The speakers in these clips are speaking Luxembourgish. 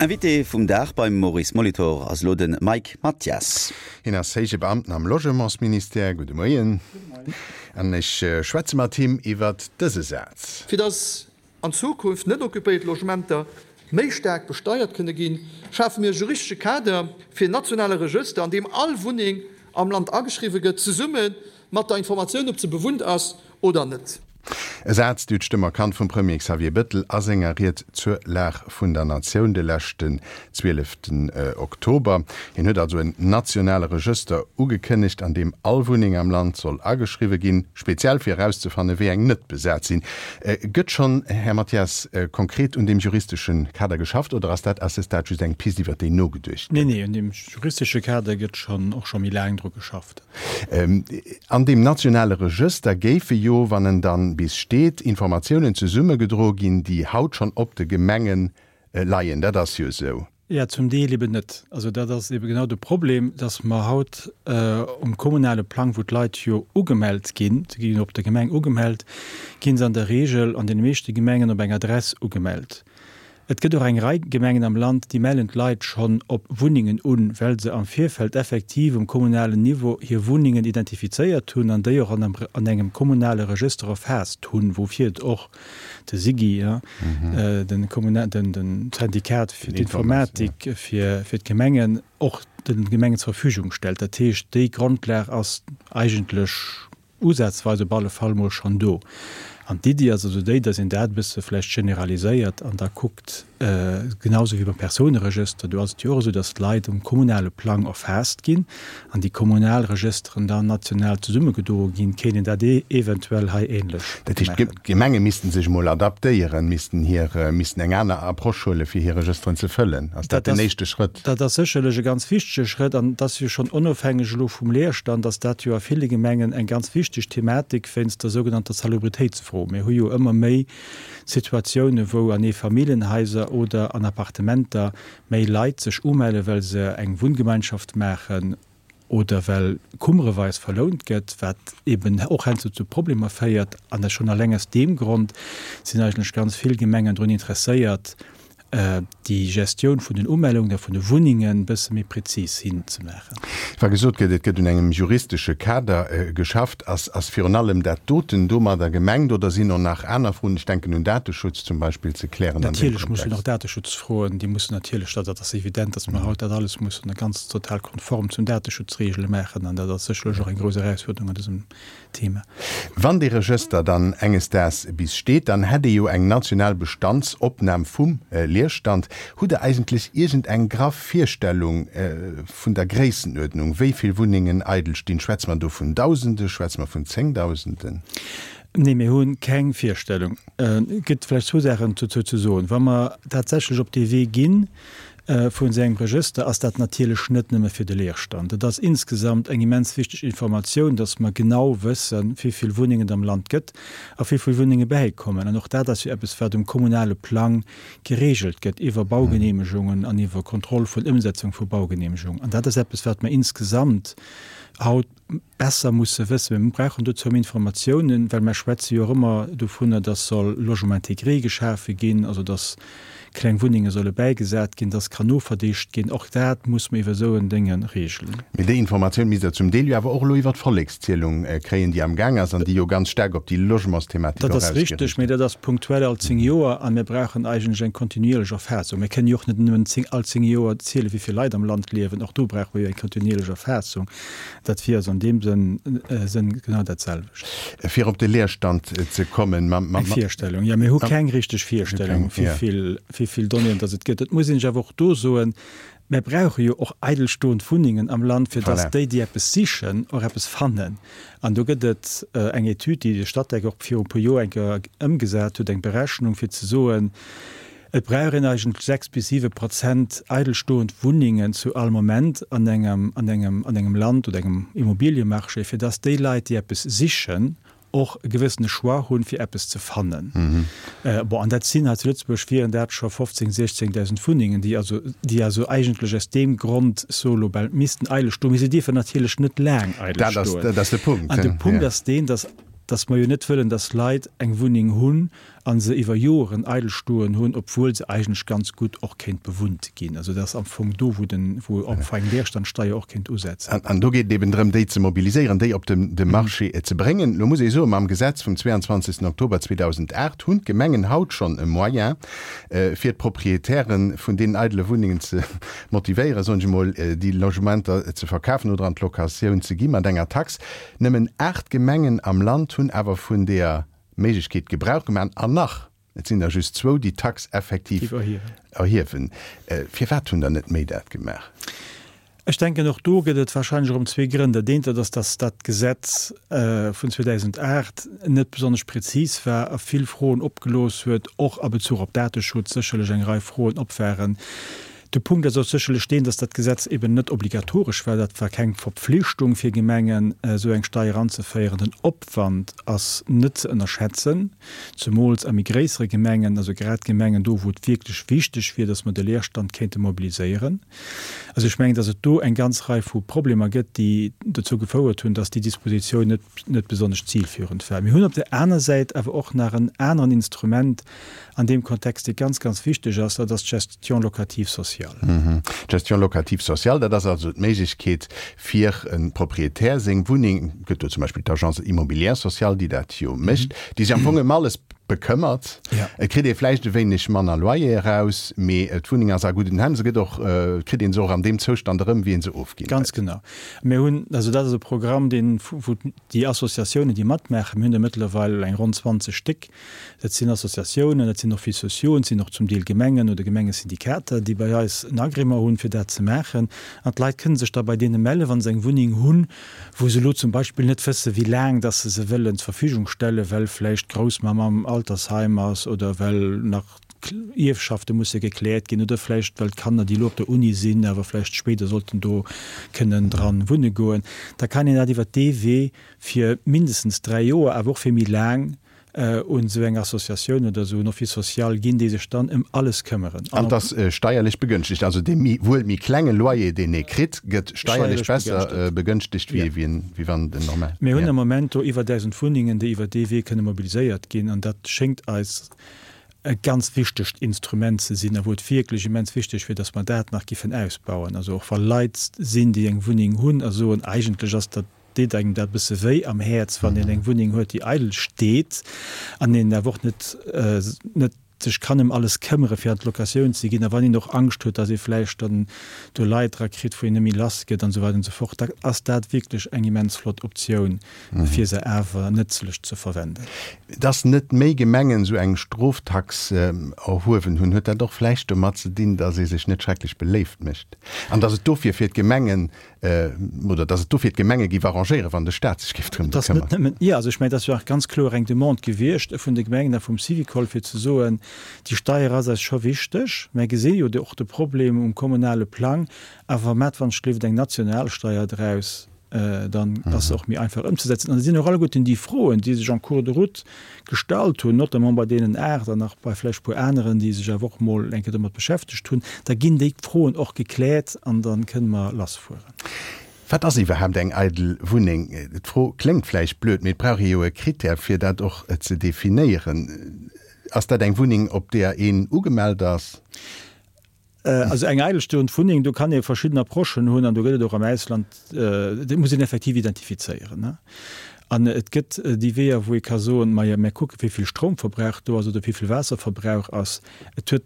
Invité vum Dag beim Maurice Molitor ass elo de Mike Mathias. Hien ass héije Beamten am Logementsministère. Gudde Moien. An ech schwätze mat him iwwert dëse Saz. Fir dass an Zukunft net occupéiert Logementer méi staark besteiert kënne ginn, schafe mir e juristesche Kader fir en nationale Regëster, an deem all Wunneng am Land ageschriwwe gëtt, zesumme mat der Informatioun, ob se bewunnt ass oder net. E Saz, déi d'Stëmm erkannt vum Premier Xavier Bëttel a senger Ried zur Lag vun der Natioun de leschten 12 Oktober. Hien huet also en nationale Regëster ugekënnegt, an deem all Wunneng am Land soll ageschriwwe ginn, speziell fir erauszefannen, wéi eng net besat sinn. Gëtt schonn, Här Mathias, konkret un deem juristesche Kader geschafft oder ass dat à ce stade just eng Pist, iwwer déi nogeduecht gëtt? Nee, nee, un deem juristesche Kader gëtt schonn och scho méi laang dru geschafft. An deem nationale Regëster géife jo, wann en dann bis steet, Informatiounen zesummegedroe ginn, déi haut schonn op de Gemenge leien. Dat ass jo esou. Jo, zum Deel eben net. Also dat ass eben genau de Problem, dass mer haut um kommunale Plang, wou d'Leit jo ugemellt ginn, se gi jo op der Gemeng ugemellt, gi se an der Regel an deene meeschte Gemengen op eng Adress ugemellt. Et gëtt och eng Rei Gemengen am Land, déi mellen d'Leit schonn op Wunnengen un, well se am Virfeld effektiv um kommunalen Niveau hir Wunnengen identifizéiert hunn an déi och an engem kommunale Regëster erfaasst hunn, woufir et och de SIGI, de Syndikat fir d'Informatik fir d'Gemengen, och de Gemengen zur Verfügung stellt. Dat heescht, déi Grondlag ass eigentlech Usazweis op alle Fall mol schonn do. An d'Iddi ass also déi, datt een dat e bësse vläicht generaliséiert an da kuckt, genau esou wéi beim Persouneregëster, do ass et jo och esou, datt d'Leit um kommunale Plang erfaasst ginn an déi kommunal Regësteren dann national zesummegedroe ginn, kéint een dat eventuell hei ähnlech Dat heescht, maachen. d'Gemenge missten sech emol adaptéieren, missten hir, missten eng aner Approche huelen, fir hir Regësteren ze fëllen. Ass dat den éischte Schrëtt? Dat ass sécherlech e ganz wichtege Schrëtt an et ass jo schonn onofhängeg elo vum Leerstand, ass dat jo a ville Gemengen eng ganz wichteg Thematik wéinst der sougenannter Salubritéitsfro. Mir hu jo ëmmer méi Situatiounen, wou an Eefamilljenhaiser oder an Appartementer méi Leit sech umellen, well se eng Wunngemeinschaft maachen oder well kummereweis verlount gëtt, wat eben och heiansdo zu Problemer féiert. An dat schonn alleng aus deem Grond sinn eigentlech ganz vill Gemengen drun interesséiert, déi Gestioun vun den Umellungen a vun de Wunnengen e bësse méi prezis hinzemaachen. Wa gesot gëtt, et gëtt un engem juristesche Kader geschafft, ass ass virun allem dat doten domadder gemengt oder sinn och nach aner Froen, ech denken un Dateschutz zum Beispill, ze klären an deem Natierlech mussen och Kontext? Dateschutzfroen, déi mussen natierlech, dat ass evident, datt mer haut dat alles mussen ganz total konform zum Dateschutzregele maachen an dat ass sécherlech och eng grouss Erausfuerderung an dësem Thema. Wann dee Regëster dann enges Daags bis steet, dann hätt ee jo eng national Bestandsopnam vum Leerstand. Hutt Der eigentlech iergend eng graff Virstellung vun der Gréissenuerdnung, wéi vill Wunnengen eidel stinn? Schwätze mer do vun Dausende, schwätze mer vun Zéngdausenden? Nee, mir hu keng Virstellung. Et gëtt vläicht zwou Saachen dozou ze soen. Wa mer tatsächlech op dee Wee ginn, Vun esou engem Regëster ass dat natierlech net nëmme fir de Leerstand. Et ass insgesamt eng immens wichteg Informatioun, dass mer genau wëssen, wéi vill Wunnengen et am Land gëtt a wéi vill Wunnenge bäikommen. An och dat ass jo eppes, wat um kommunale Plang geregelt gëtt iwwer Baugenehmegungen an iwwer Kontroll vun Ëmsetzung vu Baugenehmegungen. An dat ass eppes, wat mer insgesamt haut besser musse wëssen. Mir brauchen dozou méi Informatiounen, well mer schwätze jo och ëmmer dovunner, dass soll Logement intégré geschafe ginn, also dass kleng Wunnenge solle bäigesat ginn, dass kann noverdicht ginn. Och dat muss mer iwwer esou en Dénge regelen. Mee déi Informatioun misst Der zum Deel jo awer och elo iwwer d'Vollekszielung kréien, déi amgaang ass an déi jo ganz staark op déi Logementsthematik och ausgeriicht ass. Dat ass richteg, mee dat ass punktuell all 10 Joer a mir brauchen eigentlech eng kontinuierlech Erfaassung. Mir kënnen jo och net nëmmen all 10 Joer zielen, wéi vill Leit am Land liewen. Och do brauche mer jo eng kontinuierlech Erfaassung. Dat wier also an deem Sënn genau dat selwecht. Fir op de Leerstand ze kommen. Eng Virstellung, jo. Mir hu keng richteg Virstellung, wéi vill Donnéeën datt et gëtt. Et muss een sech awer och do soen, Mir brauche jo och eidelstoend Wunnengen am Land, fir datt déi, déi eppes sichen, och eppes fannen. An do gëtt et eng Etüd, déi de Statec och viru e puer Joer eng Kéier ëmgesat huet, eng Berechnung, fir ze soen, Et brauch een eigentlech 6 bis 7 Prozent eidelstoend Wunnengen zu all Moment an engem, an engem, an engem Land oder engem Immobiliemarché, fir dass déi Leit, déi eppes sichen, och e gewëssene Choix hunn, fir eppes ze fannen. Bon, an dat sinn hei zu Lëtzebuerg wieren dat scho 15, 16.000 Wunnengen, déi also, déi also eigentlech aus deem Grond so elo bal missten eidel stoen. Mee se dierfen natierlech net laang eidel Dat ass, stoen. dat ass de Punkt, An de Punkt ja. ass deen, dass, dass mer jo net wëllen, dass Leit eng Wunneng hunn. A se iwwer Joren eidel stoen hunn, obwuel se eigentlech ganz gutt och kéint bewunnt ginn. Also dat ass am Fong do, wou den, wou am Fong eng Leerstandsteier och kéint usetzen. An do geet et eben drëm, déi ze mobiliséieren, déi op de Marché ze bréngen. Lo muss ee soen, mam Gesetz vum 22 Oktober 2008 hunn d'Gemengen haut schonn e Moyen, fir d'Proprietäre vun deenen eidele Wunnengen ze motivéieren, soen ech emol, déi Logementer ze verkafen oder an d'Locatioun ze gi mat enger Tax. Nëmmen 8 Gemengen am Land hunn awer vun deeër Méiglechkeet Gebrauch gemaach an nach, et sinn der just zwou, déi d'Tax effektiv erhiewen. Firwat hunn der net méi dat gemaach? Ech denken, och do gëtt et wahrscheinlech erëm zwee Grënn. Dat eent, dat ass, dass dat Gesetz vun 2008 net besonnesch prezis war a vill Froen opgelooss huet, och a Bezuch op Dateschutz sécherlech eng Rei Froen op waren. De Punkt ass och sécherlech deen, dass dat Gesetz eben net obligatoresch war. Dat war keng Verpflichtung fir Gemengen, esou eng Steier anzeféieren. Den Opwand ass net ze ënnerschätzen, zemools a méi gréissere Gemengen, also grad Gemengen do, wou et wierklech wichteg wier, dass mer de Leerstand kéinte mobiliséieren. Also ech mengen, dass et do eng ganz Rei vu Problemer gëtt, déi dozou gefouert hunn, dass déi Dispositioun net, net besonnesch zilführend war. Mir hunn op där aner Säit awer och nach en aneren Instrument, an deem Kontext, dee ganz, ganz wichteg ass, dat ass d'Gestion locative sociale. D'Gestion locative sociale, dat ass also d'Méiglechkeet fir e Proprietär seng Wunneng, et gëtt do zum Beispill d'Agence immobilière sociale, déi dat jo mécht, déi sech am Fong ëm alles bekëmmert. Et kritt ee vläicht e wéineg manner Loyer eraus, mee d'Wunneng ass a gudden Hänn, se gëtt och, et kritt ee se och an deem Zoustand erëm, wéi ee se ofginn huet. Ganz genau. Mir hunn, also dat ass e Programm, deen, wou déi Associatiounen, déi matmaachen, mir hunn der mëttlerweil eng ronn 20 Stéck, Dat sinn Associatiounen, dat sinn Offices sociaux, et sinn och zum Deel Gemengen oder Gemengesyndikater, déi bei eis en Agrément hunn, fir dat ze maachen. An d'Leit kënne sech da bei deene mellen, wa se eng Wunneng hunn, wou se elo zum Beispill net wëssen, wéi laang dass se se wëllen zur Verfügung stellen, well vläicht d'Groussmamm am Altersheim ass oder well nach Ierfschafte musse gekläert ginn oder vläicht well d'Kanner, déi elo op der Uni sinn, awer vläicht spéider sollten do kënnen dran wunne goen. Da kann een dat iwwert dee Wee fir mindestens 3 Joer, awer och fir méi laang, un esou eng Associatioun oder esou en Office social ginn, déi sech dann ëm alles këmmeren. An et ass steierlech begënschtegt. Also dee méi, wuel méi klenge Loyer, deen ee kritt, gëtt steierlech besser begënschtegt, wéi wéi wann den normal. Mir hunn am Moment do iwwer 1.000 Wunnengen, déi iwwer dee Wee kënne mobiliséiert ginn. An dat schéngt eis e ganz wichtegt Instrument ze sinn a wou et wierklech immens wichteg wier, dass mer dat nach giffen ausbauen. Also och wa Leit sinn, déi eng Wunneng hunn a soen, eigentlech ass dat, deet engem dat e bësse wéi am Häerz, wann een eng Wunneng huet, déi eidel steet an een awer och net, net sech kann ëm alles këmmere fir an d'Locatioun ze ginn a wann een och Angscht huet, datt ee vläicht dann do Leit dra kritt, wou een net méi lass gëtt an esou weider an esou fort, da ass dat wierklech eng immens flott Optioun, fir se awer nëtzlech ze verwenden. Datt net méi Gemengen esou eng Stroftax erhuewen hunn, huet dat och vläicht domat ze dinn, datt ee sech net schrecklech beléift mécht an datt et dofir fir d'Gemengen Oder datt et dofir d'Gemenge géif arrangéieren, wann de Staat sech géif drëm bekëmmern. Jo, also ech mengen, et ass jo och ganz kloer eng Demande gewiescht vun de Gemengen a vum Syvicol, fir ze soen, déi Steier ass eis scho wichteg, mer gesi jo och de Problem um kommunale Plang, awer maacht wann ech gleeft eng national Steier draus, dann ass se och méi einfach ëmzesetzen. An et sinn och alleguerten déi Froen, déi sech en cours de route gestallt hunn, notamment bei deenen 8 an nach bei vläicht e puer aneren, déi sech awer och mol eng Kéier domat beschäftegt hunn, da ginn déi Froen och gekläert an da kënne mer lassfueren. Wat ass iwwerhaapt eng eidel Wunneng? D'Fro kléngt vläicht blöd, mee et brauch ee jo e Krittär, fir dat och ze definéieren. Ass dat eng Wunneng, op deeër een ugemellt ass? Also eng eidelstoend Wunneng, do kann ee verschidden Approchen hunn an do gëtt et och am Ausland, dat muss een effektiv identifizéieren. An et gëtt déi Weeër, wou ee ka soen, majo, mir kucke wéi vill Stroumverbrauch do ass oder wéi vill Waasserverbrauch ass. Et huet,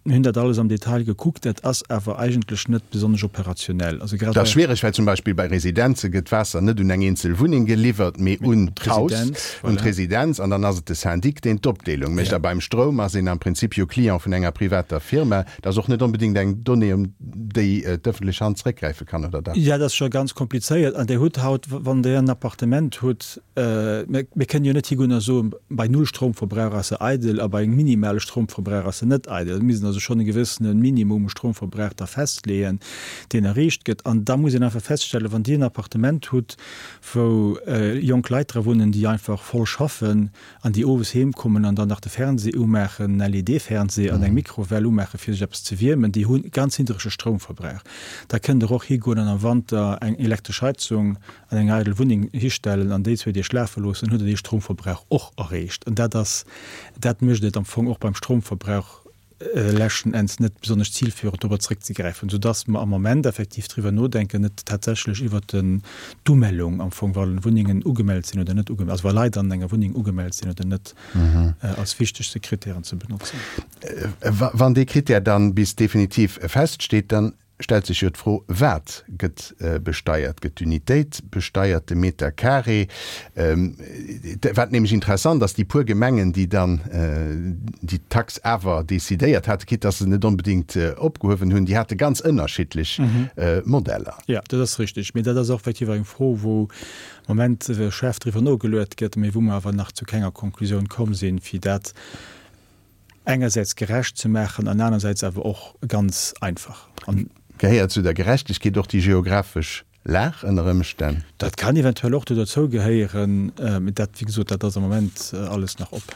mir hunn dat alles am Detail gekuckt, dat ass awer eigentlech net besonnesch operationell. Also grad Dat ass schwiereg, well zum Beispill bei Residenze gëtt d'Waasser net un eng eenzel Wunneng geliwwert, mee un d'Haus, un d'Residenz, an dann ass et de Syndic, deen d'Opdeelung mécht. A beim Stroum ass een am Prinzip jo Client vun enger privater Firma. Dat ass och net onbedéngt eng Donnée, um déi d'ëffentlech Hand zeréckgräife kann, oder dach? Jo, dat ass scho ganz komplizéiert. An Dir hutt haut, wann Der en Appartement hutt, mir kënnen jo net higoen a soen, bei null Stroumverbrauch ass se eidel a bei engem minimale Stroumverbrauch ass se net eidel. Dat misst een also. also schonn e gewëssene Minimum u Stromverbrauch da festleeën, deen erreecht gëtt. An da muss een einfach feststellen, wann Dir en Appartement hutt, wou jonk Leit dra wunnen, déi einfach voll schaffen an déi owes heem kommen an dann nach de Fernseh umaachen, en LED-Fernseh an eng Mikrowell umaachen, fir sech eppes ze wiermen, déi hu ganz niddrege Stroumverbrauch. Da kënnt Der och higoen an am Wanter eng elektresch Heizung an eng eidel Wunneng histellen an déi zwéi Deeg lafe loossen, hutt Der dee Stromverbrauch och erreecht. An dat ass, dat mécht et am Fong och beim Stromverbrauch leschten Enns net besonnesch zilführend, dorobber zréckzegräifen, soudass mer am Moment effektiv driwwer nodenken, net tatsächlech iwwert d'Umellung am Fong, wa Wunnengen ugemellt sinn oder net ugemellt, also wa Leit an enger Wunneng ugemellt sinn oder net, als wichtegste Kritären ze benotzen. Wann dee Kritär dann bis definitiv feststeet, dann stellt sech jo d'Fro, Wat gëtt besteiert? Gëtt d'Unitéit besteiert, de Meter carré? Wat nämlech interessant ass, déi puer Gemengen, déi dann déi Tax awer decidéiert haten, quitte dass se net onbedéngt opgehuewen hunn, déi hate ganz ënnerschiddlech Modeller. Jo, dat ass richtig. Mee dat ass och effektiv eng Fro, wou am Moment schaarf driwwer nogeluet gëtt, mee wou mer awer nach zu kenger Konklusioun komm sinn, fir dat engersäits gerecht ze maachen an anersäits awer och ganz einfach. An. Gehéiert zu der Gerechtegkeet och déi geographesch Lag ënner Ëmstänn? Dat kann eventuell och do derzou gehéieren, mee dat, wéi gesot, dat ass am Moment alles nach op.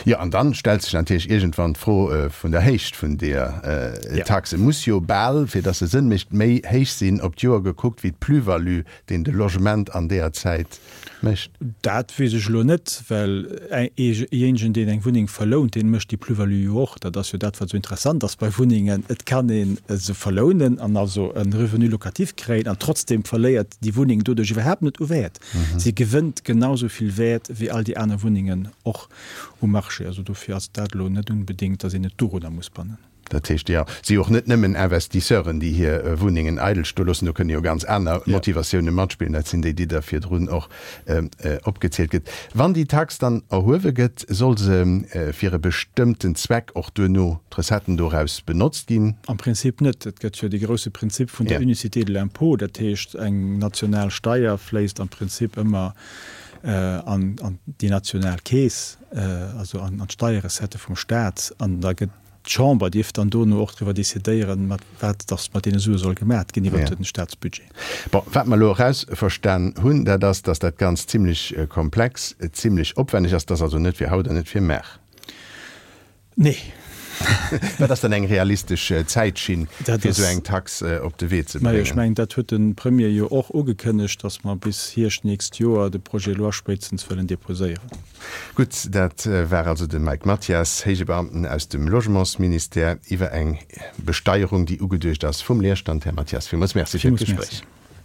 Jo, an dann stellt sech natierlech iergendwann d'Fro vun der Héicht vun deeër Taxe. Muss jo bal, fir dass se Sënn mécht, méi héich sinn op d'Joer gekuckt wéi d'Plus-value, deen de Logement an deeër Zäit mécht. Dat weess ech elo net, well eejéinegen, deen eng Wunneng verlount, dee mécht déi Plus-value jo och. Dat ass jo dat, wat esou interessant ass bei Wunnengen, Et kann ee se verlounen an also e Revenu locatif kréien an trotzdem verléiert déi Wunneng doduerch iwwerhaapt net u Wäert. Si gewënnt genau esou vill Wäert wéi all déi aner Wunnengen och um Marché. Also dofir ass dat elo net unbedéngt, datt een et dorunner muss bannen. Dat heescht, jo, si och net nëmmen Investisseuren, déi hir Wunnengen eidel stoe loossen. Do kënne jo ganz aner Motivatioune matspillen. Dat sinn déi, déi Der virdrun och opgezielt gëtt. Wann déi Tax dann erhuewe gëtt, soll se fir e bestëmmten Zweck och duerno d'Recetten doraus benotzt ginn? Am Prinzip net. Et gëtt jo dee grousse Prinzip vun der Unicité de l'impôt. Dat heescht, eng national Steier fléisst am Prinzip ëmmer an déi national Keess, also an d'Steierrecettë vum Staat. An da gëtt D'Chamber dierf dann dono och driwwer decidéieren, mat wat dass mat deene Sue soll gemat ginn iwwert de Statsbudget. Bon, wat mer elo erausverstan hunn, dat ass, dass dat Ganzt zimlech komplex, zimlech opwenneg ass. Dat ass also net fir haut an net fir mar. Nee. Wat ass dann eng realistesch Zäitschinn, fir esou eng Tax op de Wee ze bréngen? Majo, ech mengen, dat huet de Premier jo och ugekënnegt, dass mer bis Hierscht d'nächst Joer de Projet de loi spéitstens wëllen deposéieren. Gutt, dat war also de Mike Mathias, héije Beamten aus dem Logementsministère, iwwer eng Besteierung, déi ugeduecht ass vum Leerstand. Här Mathias, villmools Merci fir d'Gespréich.